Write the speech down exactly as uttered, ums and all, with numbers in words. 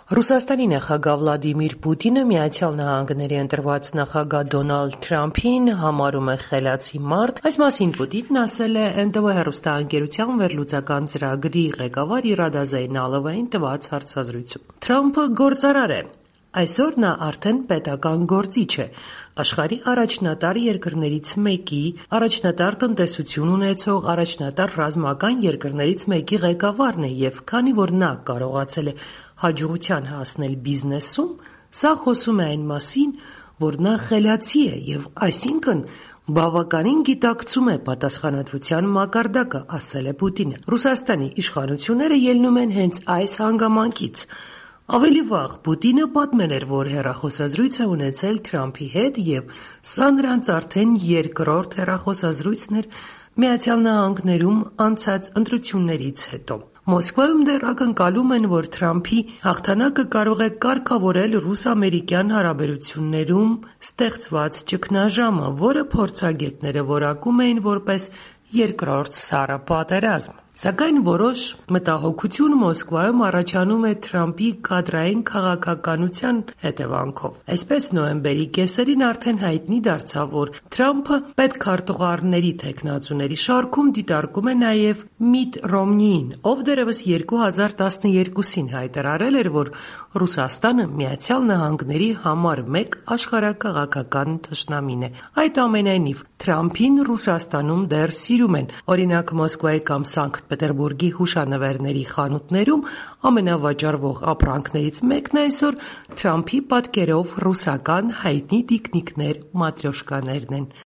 Ռուսաստանի նախագահ Վլադիմիր Պուտինը Միացյալ Նահանգների ընտրված նախագահ Դոնալդ Թրամփին համարում է խելացի մարդ։ Այս մասին Պուտինն ասել է Էն Տե Վե հեռուստաընկերության վերլուծական ծրագրի ղեկավար Իրադա Զեյնալովային տված հարցազրույցում։ Թրամփը գործարար է։ Այսօր նա արդեն պետական գործիչ է, աշխարհի առաջնատար երկրներից մեկի, առաջատար տնտեսություն ունեցող առաջատար ռազմական երկրներից մեկի ղեկավարն է և քանի որ նա կարողացել է հաջողության հասնել բիզնեսում, սա խոսում է այն մասին, որ նա խելացի է և այսինքն բավականին գիտակցում է պատասխանատվության մակարդակը, ասել է Պուտինը։ Ռուսաստանի իշխանությունները ելնում են հենց այս հանգամանքից։ Ավելի վաղ Պուտինը պատմել էր, որ հեռախոսազրույց է ունեցել Թրամփի հետ և սա նրանց արդեն երկրորդ հեռախոսազրույցն էր Միացյալ Նահանգներում անցած ընտրություններից հետո։ Մոսկվայում դեռ ակնկալում են, որ Թրամփի հաղթանակը կարող է կարգավորել ռուս-ամերիկյան հարաբերություններում ստեղծված ճգնաժամը, որը փորձագետները որակում էին որպես երկրորդ սառը պատերազմ։ Սակայն որոշ մտահոգություն Մոսկվայում առաջանում է Թրամփի կադրային քաղաքականության հետևանքով։ Այսպես նոյեմբերի կեսերին արդեն հայտնի դարձավ, որ Թրամփը պետքարտուղարների թեկնածուների շարքում դիտարկում է նաև Միտ Ռոմնիին, ով դեռևս երկու հազար տասներկուսին հայտարարել էր, որ Ռուսաստանը Միացյալ Նահանգների համար մեկ աշխարհաքաղաքական թշնամին է։ Այդուամենայնիվ Թրամփին Ռուսաստանում դեռ սիրում են։ Օրինակ Մոսկվայի կամ Սանկտ Պետերբուրգի հուշանվերների խանութներում ամենավաճառվող ապրանքներից մեկն այսօր Թրամփի պատկերով ռուսական հայտնի տիկնիկներ՝ մատրյոշկաներն են։